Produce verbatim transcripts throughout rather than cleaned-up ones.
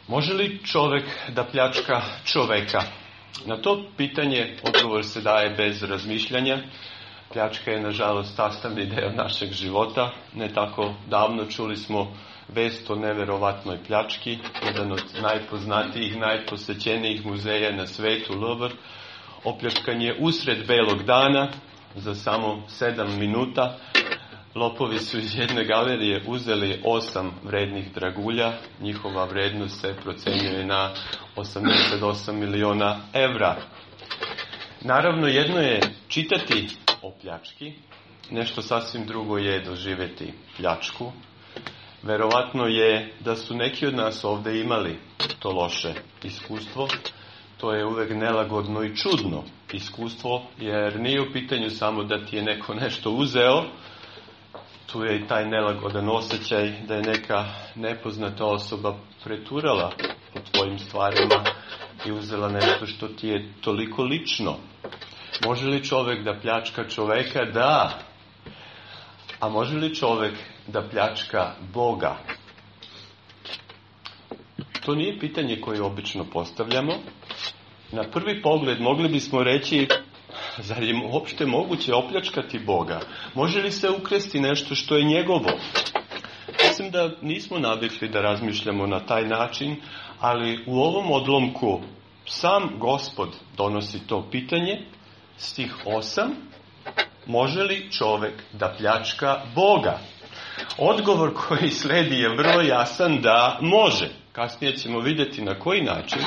Može li čovjek da pljačka čovjeka? Na to pitanje odgovor se daje bez razmišljanja. Pljačka je nažalost sastavni dio našeg života. Ne tako davno čuli smo vest o neverovatnoj pljački. Jedan od najpoznatijih, najposećenijih muzeja na svetu, Louvre, opljačkan je usred belog dana za samo sedam minuta. Lopovi su iz jedne galerije uzeli osam vrednih dragulja. Njihova vrednost se procjenjuje na osamdeset osam miliona evra. Naravno, jedno je čitati o pljački, nešto sasvim drugo je doživjeti pljačku. Verovatno je da su neki od nas ovdje imali to loše iskustvo. To je uvijek nelagodno i čudno iskustvo, jer nije u pitanju samo da ti je neko nešto uzeo. Tu je i taj nelagodan osjećaj da je neka nepoznata osoba preturala po tvojim stvarima i uzela nešto što ti je toliko lično. Može li čovjek da pljačka čovjeka? Da. A može li čovjek da pljačka Boga? To nije pitanje koje obično postavljamo. Na prvi pogled mogli bismo reći, zar je uopšte moguće opljačkati Boga? Može li se ukrasti nešto što je njegovo? Mislim da nismo navikli da razmišljamo na taj način, ali u ovom odlomku sam Gospod donosi to pitanje. Stih osam. Može li čovjek da pljačka Boga? Odgovor koji sledi je vrlo jasan da može. Kasnije ćemo vidjeti na koji način.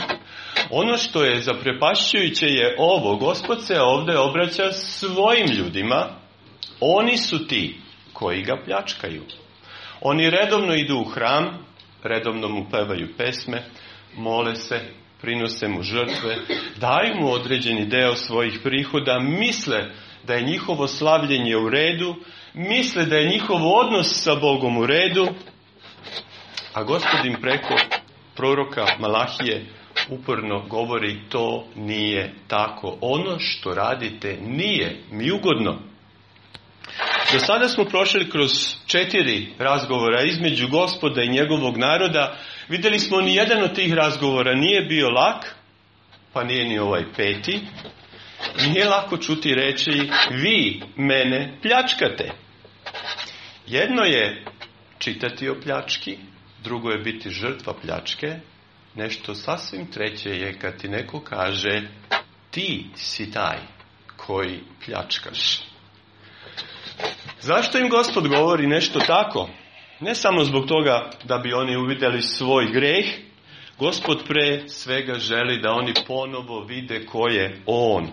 Ono što je zaprepašćujuće je ovo. Gospod se ovdje obraća svojim ljudima. Oni su ti koji ga pljačkaju. Oni redovno idu u hram, redovno mu pevaju pesme, mole se, prinose mu žrtve, daju mu određeni deo svojih prihoda, misle da je njihovo slavljenje u redu, misle da je njihov odnos sa Bogom u redu, a Gospod im preko proroka Malahije uporno govori to nije tako. Ono što radite nije mi ugodno. Do sada smo prošli kroz četiri razgovora između Gospoda i njegovog naroda. Vidjeli smo ni jedan od tih razgovora nije bio lak, pa nije ni ovaj peti. Nije lako čuti reći vi mene pljačkate. Jedno je čitati o pljački, drugo je biti žrtva pljačke. Nešto sasvim treće je kad ti neko kaže ti si taj koji pljačkaš. Zašto im Gospod govori nešto tako? Ne samo zbog toga da bi oni uvidjeli svoj greh. Gospod pre svega želi da oni ponovo vide ko je On.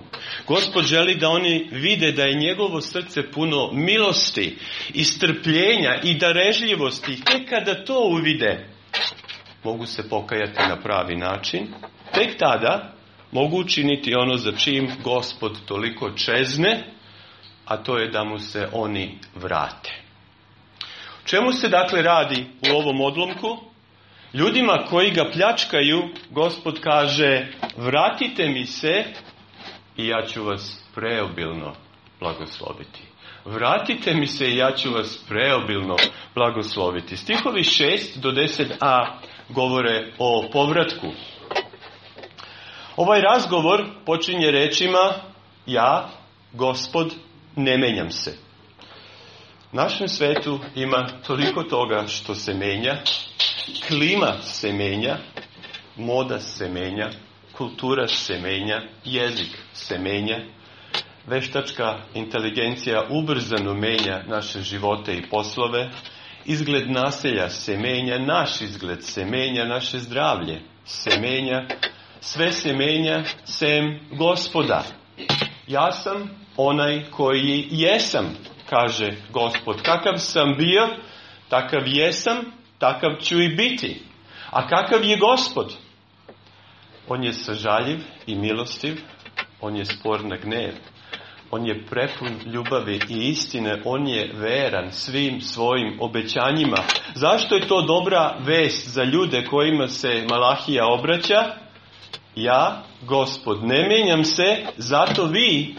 Gospod želi da oni vide da je njegovo srce puno milosti i strpljenja i darežljivosti. Tek kada to uvide, mogu se pokajati na pravi način. Tek tada mogu učiniti ono za čim Gospod toliko čezne, a to je da mu se oni vrate. O čemu se dakle radi u ovom odlomku? Ljudima koji ga pljačkaju, Gospod kaže, vratite mi se i ja ću vas preobilno blagosloviti. Vratite mi se i ja ću vas preobilno blagosloviti. Stihovi šest do deset a govore o povratku. Ovaj razgovor počinje rečima, ja, Gospod, ne menjam se. U našem svetu ima toliko toga što se menja. Klima se menja, moda se menja, kultura se menja, jezik se menja. Veštačka inteligencija ubrzano menja naše živote i poslove. Izgled naselja se menja, naš izgled se menja, naše zdravlje se menja. Sve se menja sem Gospoda. Ja sam onaj koji jesam, kaže Gospod. Kakav sam bio, takav jesam, takav ću i biti. A kakav je Gospod? On je sažaljiv i milostiv, on je spor na gnev, on je prepun ljubavi i istine, on je veran svim svojim obećanjima. Zašto je to dobra vest za ljude kojima se Malahija obraća? Ja, Gospod, ne menjam se, zato vi,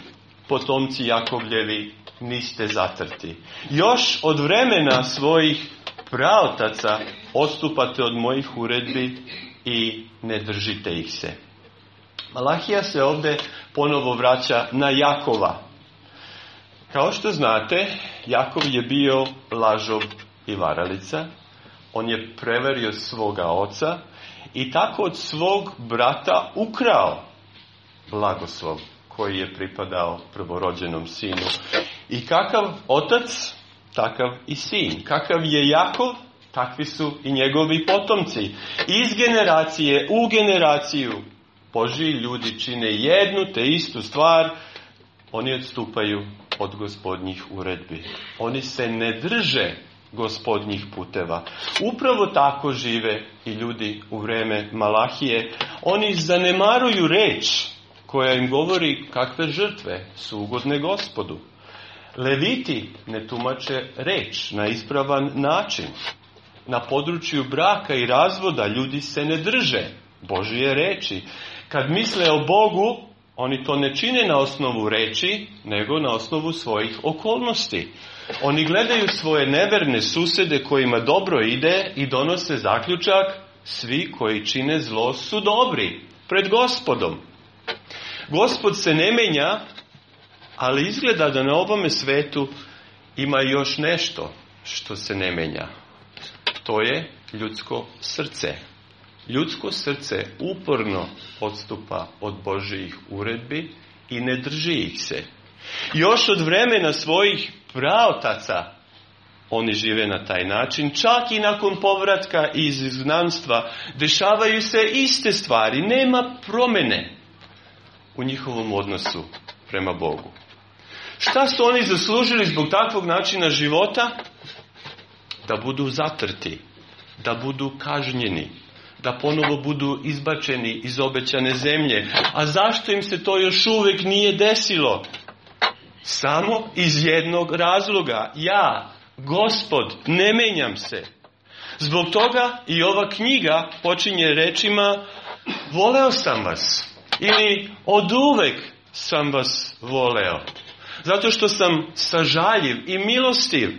potomci Jakovljevi, niste zatrti. Još od vremena svojih praotaca odstupate od mojih uredbi i ne držite ih se. Malahija se ovdje ponovo vraća na Jakova. Kao što znate, Jakov je bio lažov i varalica. On je prevario svoga oca i tako od svog brata ukrao blagoslov koji je pripadao prvorođenom sinu. I kakav otac, takav i sin. Kakav je Jakov, takvi su i njegovi potomci. Iz generacije u generaciju Božji ljudi čine jednu te istu stvar, oni odstupaju od Gospodnjih uredbi. Oni se ne drže Gospodnjih puteva. Upravo tako žive i ljudi u vrijeme Malahije. Oni zanemaruju reč koja im govori kakve žrtve su ugodne Gospodu. Leviti ne tumače reč na ispravan način. Na području braka i razvoda ljudi se ne drže Božje reči. Kad misle o Bogu, oni to ne čine na osnovu reči, nego na osnovu svojih okolnosti. Oni gledaju svoje neverne susjede kojima dobro ide i donose zaključak, svi koji čine zlo su dobri pred Gospodom. Gospod se ne menja, ali izgleda da na ovome svetu ima još nešto što se ne menja. To je ljudsko srce. Ljudsko srce uporno odstupa od Božjih uredbi i ne drži ih se. Još od vremena svojih praotaca oni žive na taj način. Čak i nakon povratka iz izgnanstva dešavaju se iste stvari. Nema promjene u njihovom odnosu prema Bogu. Šta su oni zaslužili zbog takvog načina života? Da budu zatrti, da budu kažnjeni, da ponovo budu izbačeni iz obećane zemlje. A zašto im se to još uvijek nije desilo? Samo iz jednog razloga. Ja, Gospod, ne menjam se. Zbog toga i ova knjiga počinje rečima voleo sam vas. Ili oduvek sam vas voleo. Zato što sam sažaljiv i milostiv.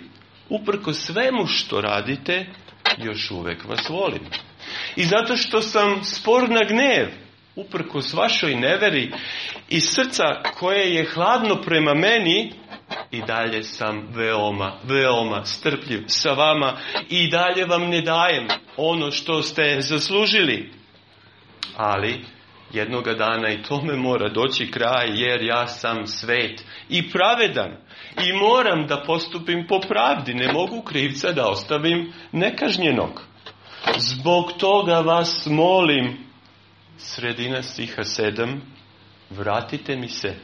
Uprko svemu što radite, još uvijek vas volim. I zato što sam spor na gnev, uprkos vašoj neveri i srca koje je hladno prema meni, i dalje sam veoma, veoma strpljiv sa vama i dalje vam ne dajem ono što ste zaslužili. Ali jednoga dana i tome mora doći kraj, jer ja sam svet i pravedan i moram da postupim po pravdi. Ne mogu krivca da ostavim nekažnjenog. Zbog toga vas molim, sredina stiha sedam, vratite mi se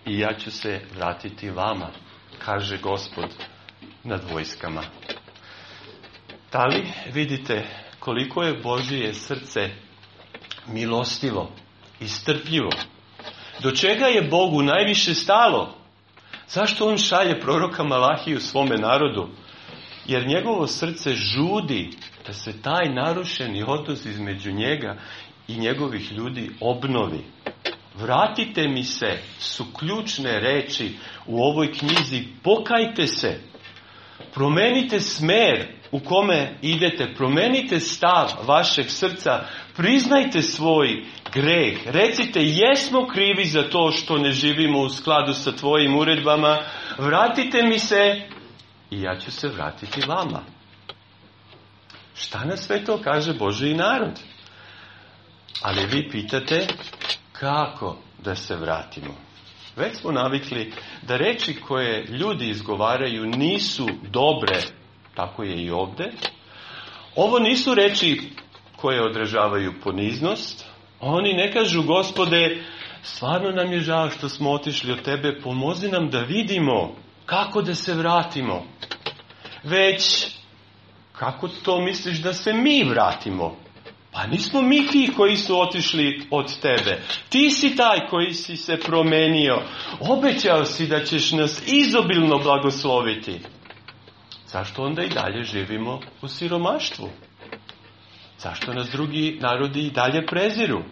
i ja ću se vratiti vama, kaže Gospod nad vojskama. Da li vidite koliko je Božje srce milostivo i strpljivo? Do čega je Bogu najviše stalo? Zašto on šalje proroka Malahiju svome narodu? Jer njegovo srce žudi da se taj narušeni odnos između njega i njegovih ljudi obnovi. Vratite mi se su ključne reči u ovoj knjizi. Pokajte se. Promenite smer u kome idete. Promenite stav vašeg srca. Priznajte svoj greh. Recite, jesmo krivi za to što ne živimo u skladu sa tvojim uredbama. Vratite mi se i ja ću se vratiti vama. Šta na sve to kaže Božji narod? Ali vi pitate kako da se vratimo. Već smo navikli da reči koje ljudi izgovaraju nisu dobre, tako je i ovdje. Ovo nisu reči koje odražavaju poniznost. Oni ne kažu, Gospode, stvarno nam je žao što smo otišli od tebe, pomozi nam da vidimo kako da se vratimo. Već, kako to misliš da se mi vratimo? Pa nismo mi ti koji su otišli od tebe. Ti si taj koji si se promenio. Obećao si da ćeš nas izobilno blagosloviti. Zašto onda i dalje živimo u siromaštvu? Zašto nas drugi narodi i dalje preziru?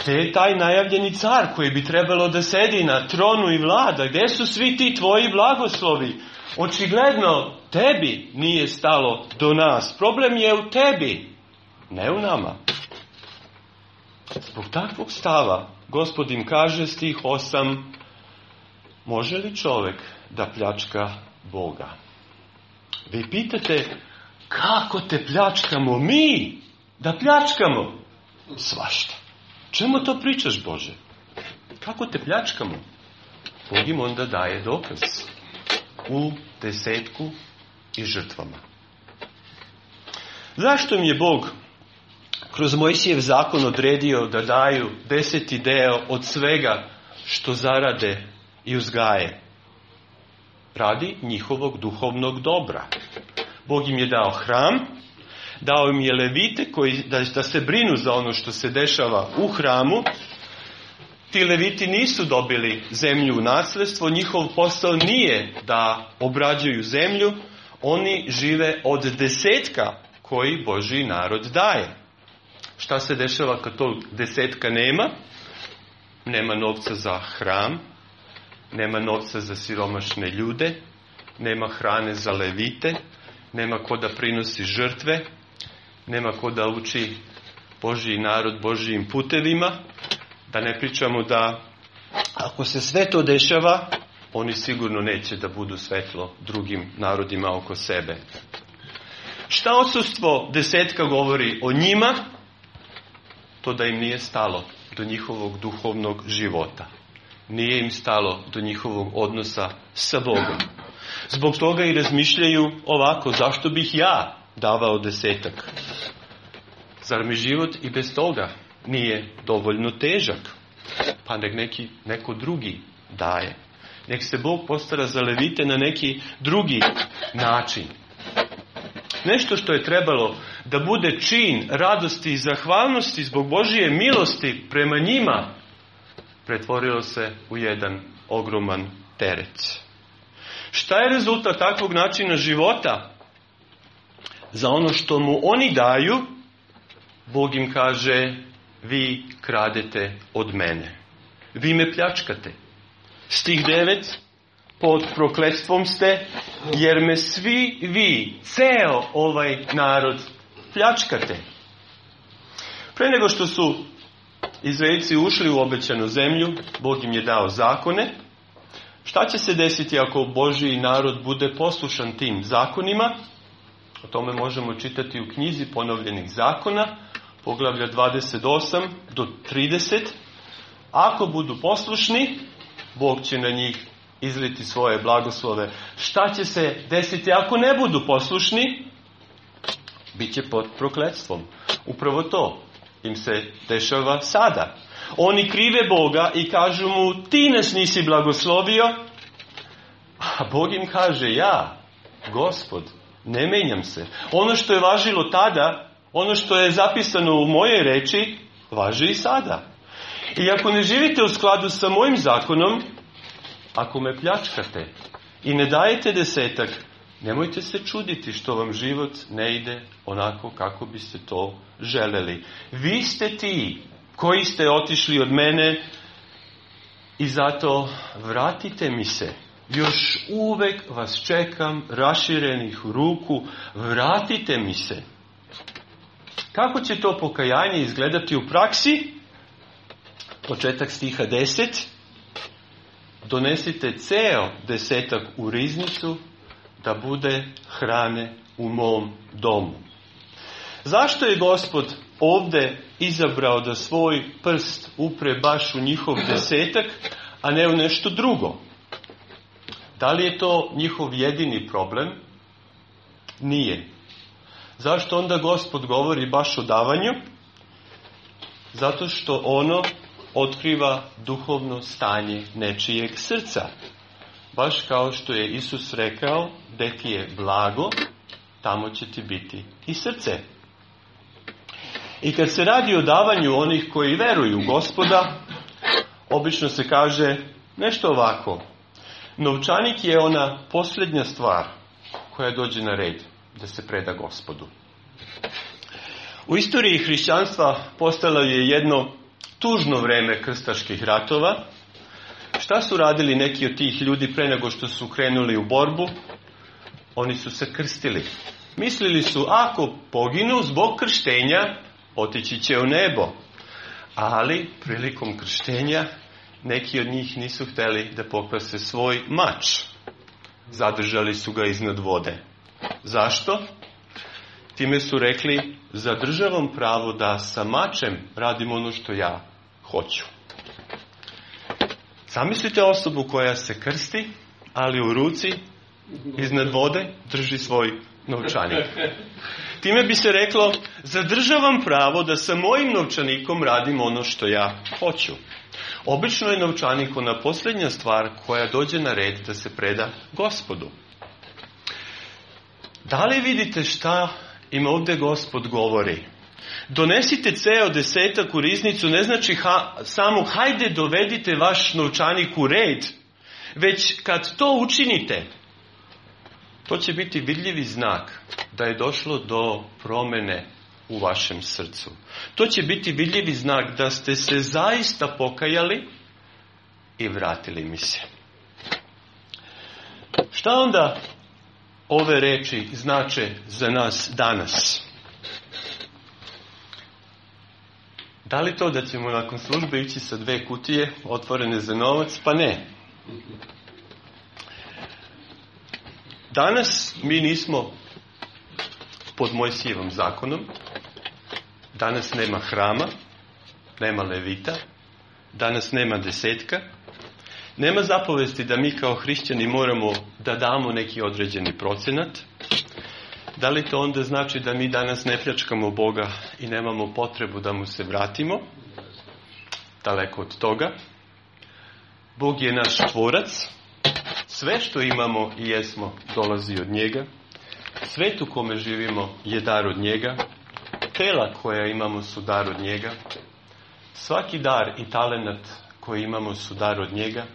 Gdje je taj najavljeni car koji bi trebalo da sedi na tronu i vlada? Gdje su svi ti tvoji blagoslovi? Očigledno tebi nije stalo do nas. Problem je u tebi. ne u nama. Zbog takvog stava, Gospod im kaže, stih osam, može li čovjek da pljačka Boga? Vi pitate, kako te pljačkamo mi? Da pljačkamo? Svašta. Čemu to pričaš, Bože? Kako te pljačkamo? Bog im onda daje dokaz u desetku i žrtvama. Zašto mi je Bog kroz Mojsijev zakon odredio da daju deseti deo od svega što zarade i uzgaje? Radi njihovog duhovnog dobra. Bog im je dao hram, dao im je levite koji, da, da se brinu za ono što se dešava u hramu. Ti leviti nisu dobili zemlju u nasljedstvo, njihov posao nije da obrađuju zemlju, oni žive od desetka koji Božji narod daje. Šta se dešava kad tog desetka nema? Nema novca za hram, nema novca za siromašne ljude, nema hrane za levite, nema ko da prinosi žrtve, nema ko da uči Božji narod Božjim putevima. Da ne pričamo da ako se sve to dešava, oni sigurno neće da budu svetlo drugim narodima oko sebe. Šta odsustvo desetka govori o njima? To da im nije stalo do njihovog duhovnog života. Nije im stalo do njihovog odnosa sa Bogom. Zbog toga i razmišljaju ovako, zašto bih ja davao desetak? Zar mi život i bez toga nije dovoljno težak? Pa nek neki, neko drugi daje. Nek se Bog postara za levite na neki drugi način. Nešto što je trebalo da bude čin radosti i zahvalnosti zbog Božje milosti prema njima, pretvorilo se u jedan ogroman teret. Šta je rezultat takvog načina života? Za ono što mu oni daju, Bog im kaže, vi kradete od mene. Vi me pljačkate. Stih devet, pod prokletstvom ste, jer me svi vi, ceo ovaj narod, pljačkate. Pre nego što su Izraelci ušli u obećanu zemlju, Bog im je dao zakone. Šta će se desiti ako Božji narod bude poslušan tim zakonima? O tome možemo čitati u knjizi Ponovljenih zakona, poglavlja dvadeset osam do trideset. Ako budu poslušni, Bog će na njih izliti svoje blagoslove. Šta će se desiti ako ne budu poslušni? Biće pod prokletstvom. Upravo to im se dešava sada. Oni krive Boga i kažu mu, ti nas nisi blagoslovio. A Bog im kaže, ja, Gospod, ne menjam se. Ono što je važilo tada, ono što je zapisano u moje reči, važi i sada. I ako ne živite u skladu sa mojim zakonom, ako me pljačkate i ne dajete desetak, nemojte se čuditi što vam život ne ide onako kako biste to želeli. Vi ste ti koji ste otišli od mene i zato vratite mi se. Još uvek vas čekam raširenih ruku, vratite mi se. Kako će to pokajanje izgledati u praksi? Početak stiha deset. Donesite ceo desetak u riznicu da bude hrane u mom domu. Zašto je Gospod ovdje izabrao da svoj prst upre baš u njihov desetak, a ne u nešto drugo? Da li je to njihov jedini problem? Nije. Zašto onda Gospod govori baš o davanju? Zato što ono otkriva duhovno stanje nečijeg srca. Baš kao što je Isus rekao, gde ti je blago, tamo će ti biti i srce. I kad se radi o davanju onih koji veruju u Gospoda, obično se kaže nešto ovako. Novčanik je ona posljednja stvar koja dođe na red da se preda Gospodu. U istoriji hrišćanstva postalo je jedno tužno vreme krstaških ratova. Šta su radili neki od tih ljudi pre nego što su krenuli u borbu? Oni su se krstili. Mislili su, ako poginu zbog krštenja, otići će u nebo. Ali prilikom krštenja neki od njih nisu htjeli da pokvase svoj mač. Zadržali su ga iznad vode. Zašto? Time su rekli, zadržavam pravo da sa mačem radim ono što ja hoću. Zamislite osobu koja se krsti, ali u ruci iznad vode drži svoj novčanik. Time bi se reklo, zadržavam pravo da sa mojim novčanikom radim ono što ja hoću. Obično je novčanik ona posljednja stvar koja dođe na red da se preda Gospodu. Da li vidite šta im ovdje Gospod govori? Donesite ceo desetak u riznicu ne znači ha, samo hajde dovedite vaš novčanik u red, već kad to učinite, to će biti vidljivi znak da je došlo do promjene u vašem srcu. To će biti vidljivi znak da ste se zaista pokajali i vratili mi se. Šta onda ove reči znače za nas danas? Da li to da ćemo nakon službe ići sa dve kutije otvorene za novac? Pa ne. Danas mi nismo pod Mojsijevom zakonom. Danas nema hrama, nema levita, danas nema desetka. Nema zapovesti da mi kao hrišćani moramo da damo neki određeni procenat. Da li to onda znači da mi danas ne pljačkamo Boga i nemamo potrebu da mu se vratimo? Daleko od toga. Bog je naš tvorac. Sve što imamo i jesmo dolazi od njega. Svet u kome živimo je dar od njega. Tela koja imamo su dar od njega. Svaki dar i talenat koji imamo su dar od njega.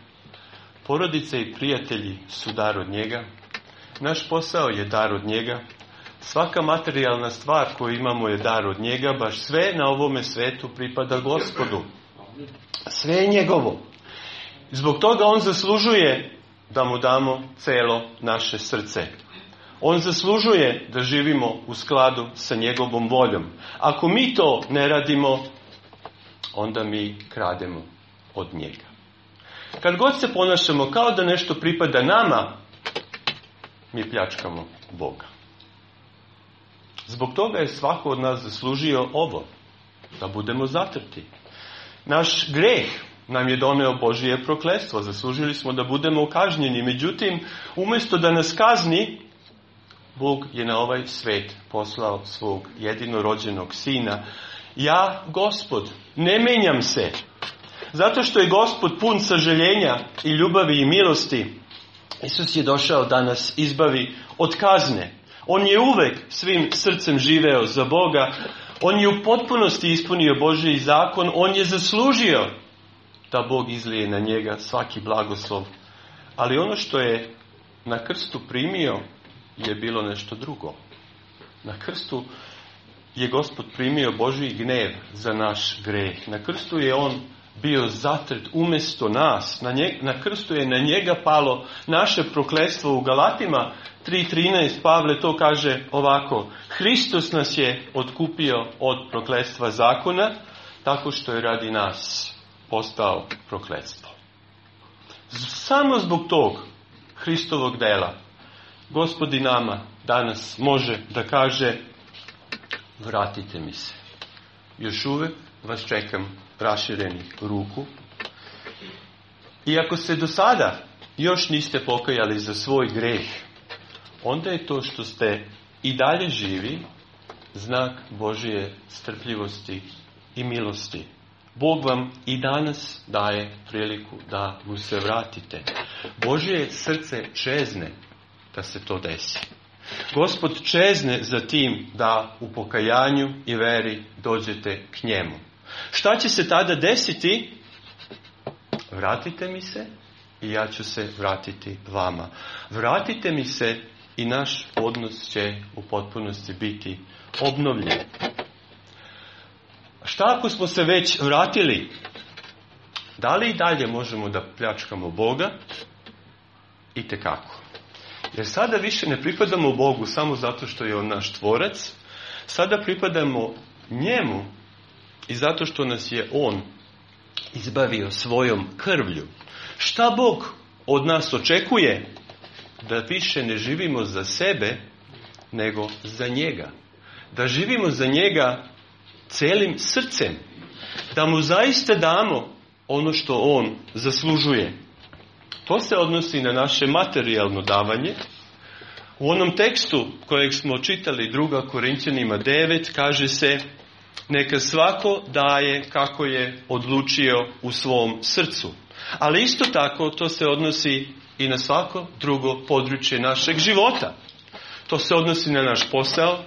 Porodice i prijatelji su dar od njega. Naš posao je dar od njega. Svaka materijalna stvar koju imamo je dar od njega. Baš sve na ovome svetu pripada Gospodu. Sve je njegovo. Zbog toga on zaslužuje da mu damo celo naše srce. On zaslužuje da živimo u skladu sa njegovom voljom. Ako mi to ne radimo, onda mi krademo od njega. Kad god se ponašamo kao da nešto pripada nama, mi pljačkamo Boga. Zbog toga je svako od nas zaslužio ovo, da budemo zatrti. Naš greh nam je doneo Božije prokletstvo, zaslužili smo da budemo kažnjeni. Međutim, umjesto da nas kazni, Bog je na ovaj svet poslao svog jedinorođenog sina. Ja, Gospod, ne menjam se. Zato što je Gospod pun sažaljenja i ljubavi i milosti, Isus je došao da nas izbavi od kazne. On je uvek svim srcem živeo za Boga. On je u potpunosti ispunio Božji zakon. On je zaslužio da Bog izlije na njega svaki blagoslov. Ali ono što je na krstu primio je bilo nešto drugo. Na krstu je Gospod primio Božji gnev za naš greh. Na krstu je on bio zatrt umjesto nas. Na, nje, na krstu je na njega palo naše prokletstvo. U Galatima tri trinaest Pavle to kaže ovako: Hristos nas je otkupio od prokletstva zakona, tako što je radi nas postao prokletstvo. Samo zbog tog Hristovog dela Gospod i nama danas može da kaže: vratite mi se. Još uvek vas čekam raširenih ruku. I ako se do sada još niste pokajali za svoj greh, onda je to što ste i dalje živi znak Božje strpljivosti i milosti. Bog vam i danas daje priliku da mu se vratite. Božje srce čezne da se to desi. Gospod čezne za tim da u pokajanju i veri dođete k njemu. Šta će se tada desiti? Vratite mi se i ja ću se vratiti vama. Vratite mi se i naš odnos će u potpunosti biti obnovljen. Šta ako smo se već vratili? Da li i dalje možemo da pljačkamo Boga? Itekako. Jer sada više ne pripadamo Bogu samo zato što je On naš tvorac, sada pripadamo njemu i zato što nas je On izbavio svojom krvlju. Šta Bog od nas očekuje? Da više ne živimo za sebe, nego za njega. Da živimo za njega celim srcem. Da mu zaista damo ono što on zaslužuje. To se odnosi na naše materijalno davanje. U onom tekstu kojeg smo čitali druga Korinćanima devet kaže se: neka svako daje kako je odlučio u svom srcu. Ali isto tako to se odnosi i na svako drugo područje našeg života. To se odnosi na naš posao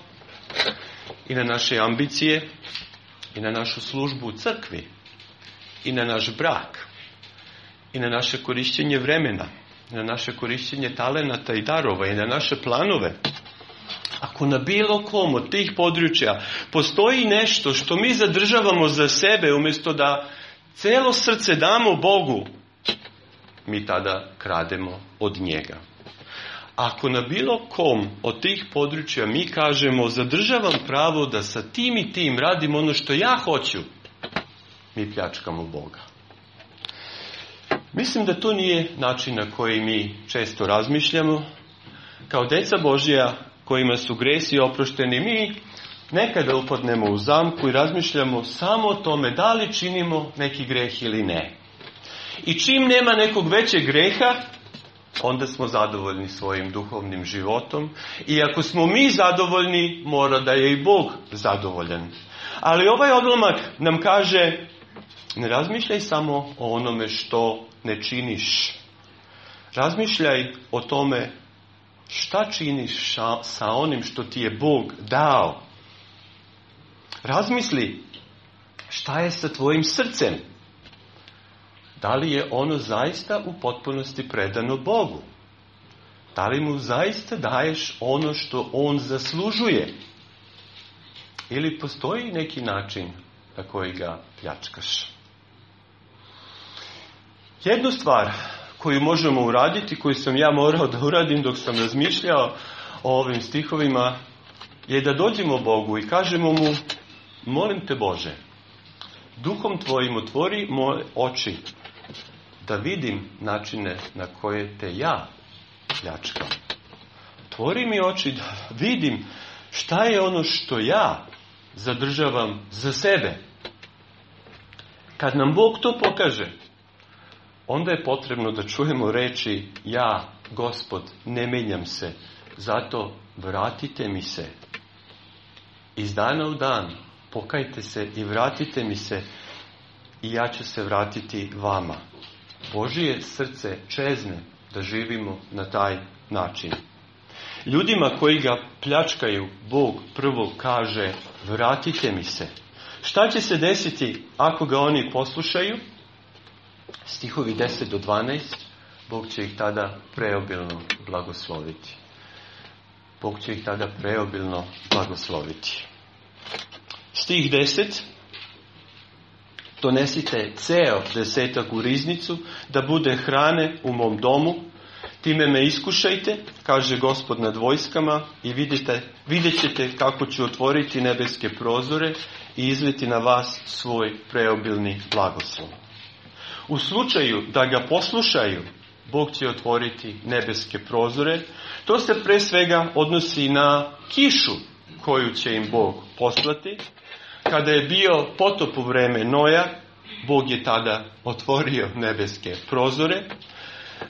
i na naše ambicije i na našu službu u crkvi i na naš brak i na naše korišćenje vremena, na naše korišćenje talenata i darova i na naše planove. Ako na bilo kom od tih područja postoji nešto što mi zadržavamo za sebe umjesto da celo srce damo Bogu, mi tada krademo od njega. Ako na bilo kom od tih područja mi kažemo zadržavam pravo da sa tim i tim radim ono što ja hoću, mi pljačkamo Boga. Mislim da to nije način na koji mi često razmišljamo. Kao djeca Božja kojima su gresi oprošteni, mi nekada upadnemo u zamku i razmišljamo samo o tome da li činimo neki greh ili ne. I čim nema nekog većeg greha, onda smo zadovoljni svojim duhovnim životom. I ako smo mi zadovoljni, mora da je i Bog zadovoljan. Ali ovaj odlomak nam kaže: ne razmišljaj samo o onome što ne činiš. Razmišljaj o tome šta činiš sa onim što ti je Bog dao. Razmisli šta je sa tvojim srcem. Da li je ono zaista u potpunosti predano Bogu? Da li mu zaista daješ ono što on zaslužuje? Ili postoji neki način na koji ga pljačkaš? Jednu stvar koju možemo uraditi, koju sam ja morao da uradim dok sam razmišljao o ovim stihovima, je da dođemo Bogu i kažemo mu: molim te Bože, duhom tvojim otvori moje oči da vidim načine na koje te ja pljačkam. Otvori mi oči da vidim šta je ono što ja zadržavam za sebe. Kad nam Bog to pokaže, onda je potrebno da čujemo reči: ja, Gospod, ne menjam se, zato vratite mi se. Iz dana u dan pokajte se i vratite mi se i ja ću se vratiti vama. Božije srce čezne da živimo na taj način. Ljudima koji ga pljačkaju, Bog prvo kaže: vratite mi se. Šta će se desiti ako ga oni poslušaju? Stihovi deset do dvanaest, Bog će ih tada preobilno blagosloviti. Bog će ih tada preobilno blagosloviti. Stih deset. Donesite ceo desetak u riznicu, da bude hrane u mom domu. Time me iskušajte, kaže Gospod nad vojskama, i vidite, vidjet ćete kako ću otvoriti nebeske prozore i izliti na vas svoj preobilni blagoslov. U slučaju da ga poslušaju, Bog će otvoriti nebeske prozore. To se pre svega odnosi na kišu koju će im Bog poslati. Kada je bio potop u vreme Noja, Bog je tada otvorio nebeske prozore.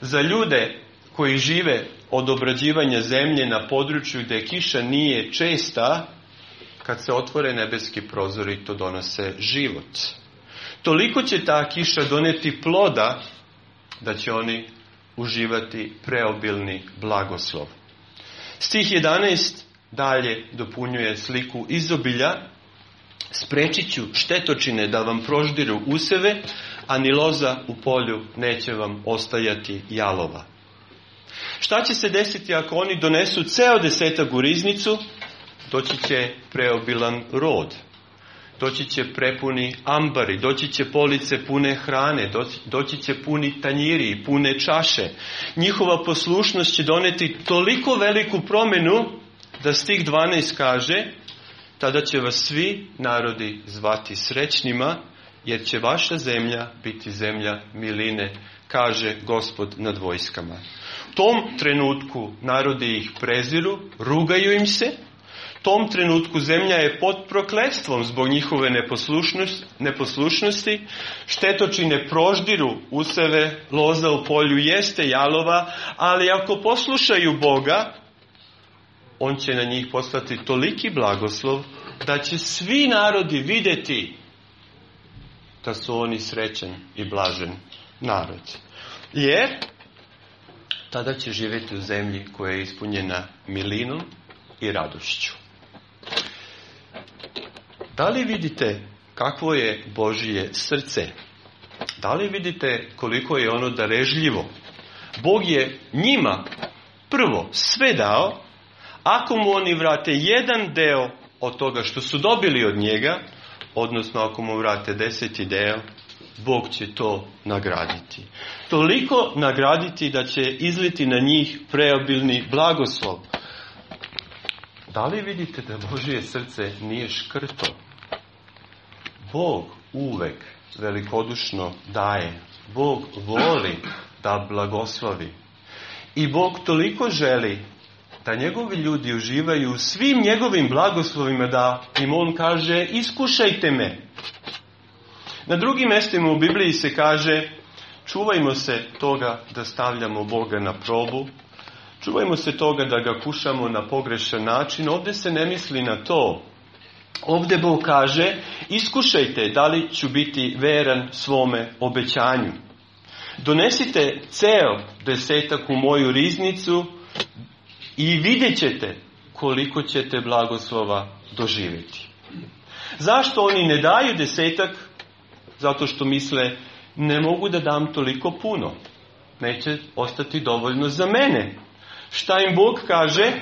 Za ljude koji žive od obrađivanja zemlje na području gdje kiša nije česta, kad se otvore nebeski prozori, to donose život. Toliko će ta kiša doneti ploda da će oni uživati preobilni blagoslov. Stih jedanaest dalje dopunjuje sliku izobilja. Sprečit ću štetočine da vam proždiru useve, a ni loza u polju neće vam ostajati jalova. Šta će se desiti ako oni donesu ceo desetak u riznicu? Doći će preobilan rod. doći će prepuni ambari, doći će police pune hrane, doći će puni tanjiri, pune čaše. Njihova poslušnost će doneti toliko veliku promjenu da stih dvanaest kaže: tada će vas svi narodi zvati srećnima, jer će vaša zemlja biti zemlja miline, kaže Gospod nad vojskama. U tom trenutku narodi ih preziru, rugaju im se. U tom trenutku zemlja je pod prokletstvom zbog njihove neposlušnosti, neposlušnosti. Štetočine proždiru useve, loza u polju jeste jalova, ali ako poslušaju Boga, on će na njih poslati toliki blagoslov da će svi narodi vidjeti da su oni srećan i blažen narod. Jer tada će živjeti u zemlji koja je ispunjena milinom i radošću. Da li vidite kakvo je Božje srce? Da li vidite koliko je ono darežljivo? Bog je njima prvo sve dao. Ako mu oni vrate jedan deo od toga što su dobili od njega, odnosno ako mu vrate deseti deo, Bog će to nagraditi. Toliko nagraditi da će izliti na njih preobilni blagoslov. Da li vidite da Božje srce nije škrto? Bog uvek velikodušno daje. Bog voli da blagoslovi. I Bog toliko želi da njegovi ljudi uživaju u svim njegovim blagoslovima, da im on kaže: iskušajte me. Na drugim mjestima u Bibliji se kaže: čuvajmo se toga da stavljamo Boga na probu, čuvajmo se toga da ga kušamo na pogrešan način. Ovdje se ne misli na to. Ovdje Bog kaže: iskušajte da li ću biti veran svome obećanju. Donesite ceo desetak u moju riznicu i vidjet ćete koliko ćete blagoslova doživjeti. Zašto oni ne daju desetak? Zato što misle: ne mogu da dam toliko puno. Neće ostati dovoljno za mene. Šta im Bog kaže?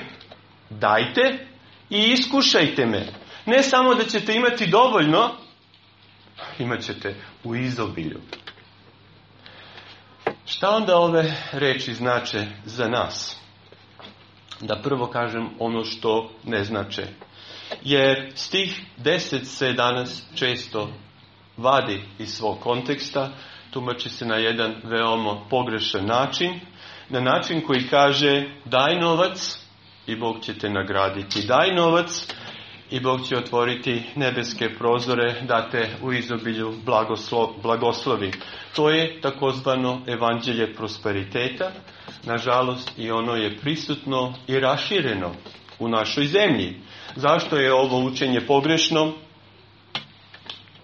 Dajte i iskušajte me. Ne samo da ćete imati dovoljno, imat ćete u izobilju. Šta onda ove reči znače za nas? Da prvo kažem ono što ne znače. Jer stih deset se danas često vadi iz svog konteksta, tumači se na jedan veoma pogrešan način, na način koji kaže: daj novac i Bog će te nagraditi. Daj novac i Bog će otvoriti nebeske prozore da te u izobilju blagoslo, blagoslovi. To je takozvano evanđelje prosperiteta. Nažalost, i ono je prisutno i rašireno u našoj zemlji. Zašto je ovo učenje pogrešno?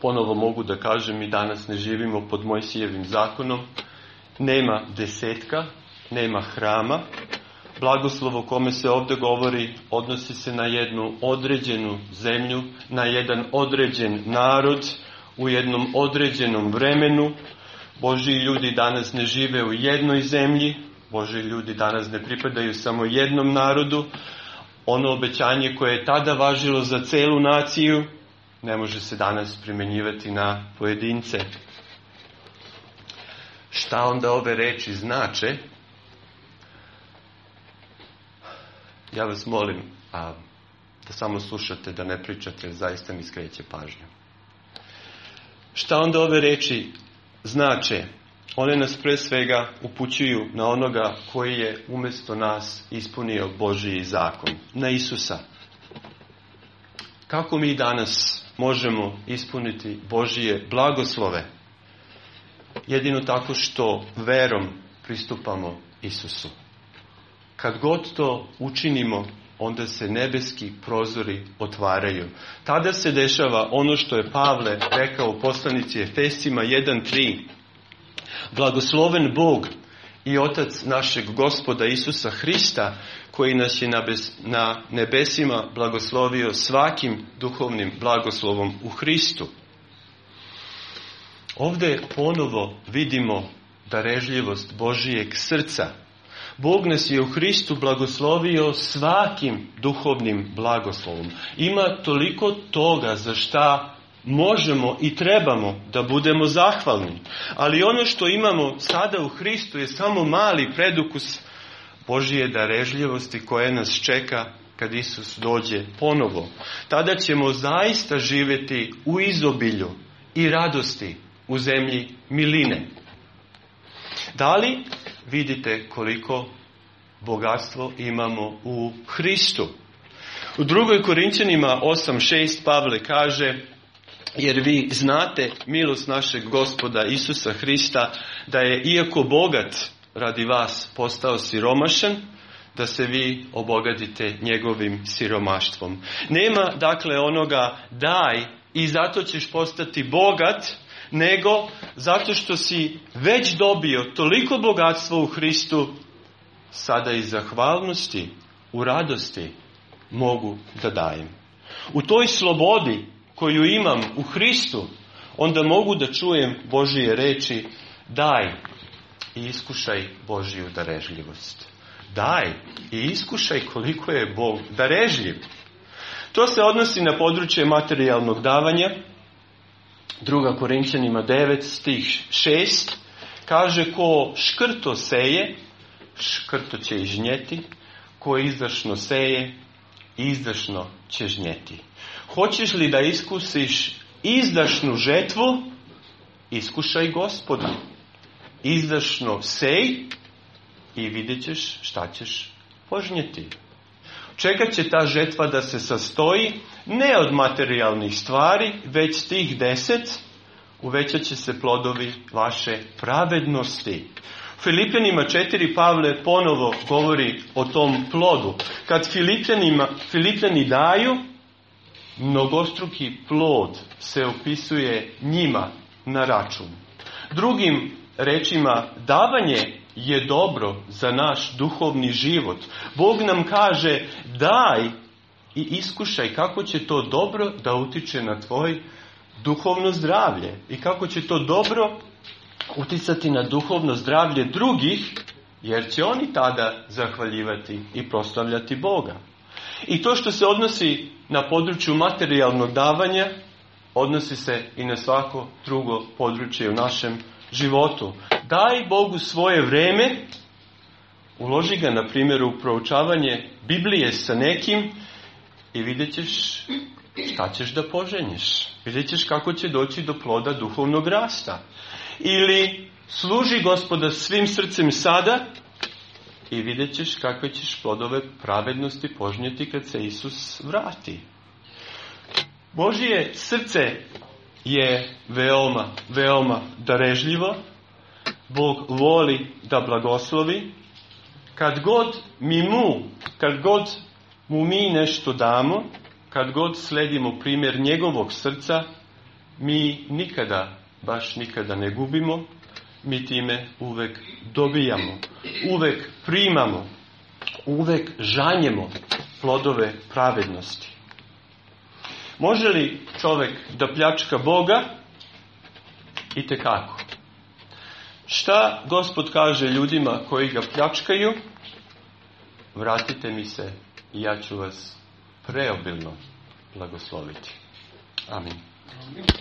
Ponovo mogu da kažem, mi danas ne živimo pod Mojsijevim zakonom. Nema desetka, nema hrama. Blagoslov o kome se ovdje govori odnosi se na jednu određenu zemlju, na jedan određen narod, u jednom određenom vremenu. Božji ljudi danas ne žive u jednoj zemlji, Božji ljudi danas ne pripadaju samo jednom narodu. Ono obećanje koje je tada važilo za celu naciju ne može se danas primjenjivati na pojedince. Šta onda ove reči znače? Ja vas molim a, da samo slušate, da ne pričate, zaista mi skreće pažnju. Šta onda ove reči znače? One nas pre svega upućuju na onoga koji je umjesto nas ispunio Božji zakon, na Isusa. Kako mi danas možemo ispuniti Božje blagoslove? Jedino tako što verom pristupamo Isusu. Kad god to učinimo, onda se nebeski prozori otvaraju. Tada se dešava ono što je Pavle rekao u poslanici Efescima jedan tri. Blagosloven Bog i Otac našeg Gospoda Isusa Hrista, koji nas je na nebesima blagoslovio svakim duhovnim blagoslovom u Hristu. Ovdje ponovo vidimo darežljivost Božijeg srca. Bog nas je u Hristu blagoslovio svakim duhovnim blagoslovom. Ima toliko toga za šta možemo i trebamo da budemo zahvalni. Ali ono što imamo sada u Hristu je samo mali predukus Božije darežljivosti koje nas čeka kad Isus dođe ponovo. Tada ćemo zaista živjeti u izobilju i radosti u zemlji miline. Da li vidite koliko bogatstvo imamo u Hristu? U drugoj Korinćanima osam šest Pavle kaže: jer vi znate milost našeg Gospoda Isusa Hrista, da je iako bogat radi vas postao siromašan, da se vi obogatite njegovim siromaštvom. Nema dakle onoga daj i zato ćeš postati bogat, nego zato što si već dobio toliko bogatstva u Hristu, sada iz zahvalnosti, u radosti mogu da dajem. U toj slobodi koju imam u Hristu, onda mogu da čujem Božije reči: daj i iskušaj Božiju darežljivost. Daj i iskušaj koliko je Bog darežljiv. To se odnosi na područje materijalnog davanja. Druga Korinćanima devet stih šest kaže: ko škrto seje, škrto će i žnjeti, ko izdašno seje, izdašno će žnjeti. Hoćeš li da iskusiš izdašnu žetvu? Iskušaj Gospoda. Izdašno sej i vidjet ćeš šta ćeš požnjeti. Čekat će ta žetva da se sastoji ne od materijalnih stvari, već tih deset uvećat će se plodovi vaše pravednosti. U Filipljanima četiri Pavle ponovo govori o tom plodu. Kad Filipljanima, Filipljani daju, mnogostruki plod se opisuje njima na račun. Drugim rečima, davanje je dobro za naš duhovni život. Bog nam kaže: daj i iskušaj kako će to dobro da utiče na tvoj duhovno zdravlje i kako će to dobro uticati na duhovno zdravlje drugih, jer će oni tada zahvaljivati i proslavljati Boga. I to što se odnosi na području materijalnog davanja, odnosi se i na svako drugo područje u našem životu. Daj Bogu svoje vreme, uloži ga na primjer u proučavanje Biblije sa nekim i vidjet ćeš šta ćeš da poženješ. Vidjet ćeš kako će doći do ploda duhovnog rasta. Ili služi Gospoda svim srcem sada i vidjet ćeš kakve ćeš plodove pravednosti požnjeti kad se Isus vrati. Božje srce je veoma, veoma darežljivo. Bog voli da blagoslovi. Kad god mi mu, kad god mu mi nešto damo, kad god sledimo primjer njegovog srca, mi nikada, baš nikada ne gubimo, mi time uvek dobijamo, uvek primamo, uvek žanjemo plodove pravednosti. Može li čovjek da pljačka Boga? Itekako. Šta Gospod kaže ljudima koji ga pljačkaju? Vratite mi se i ja ću vas preobilno blagosloviti. Amin.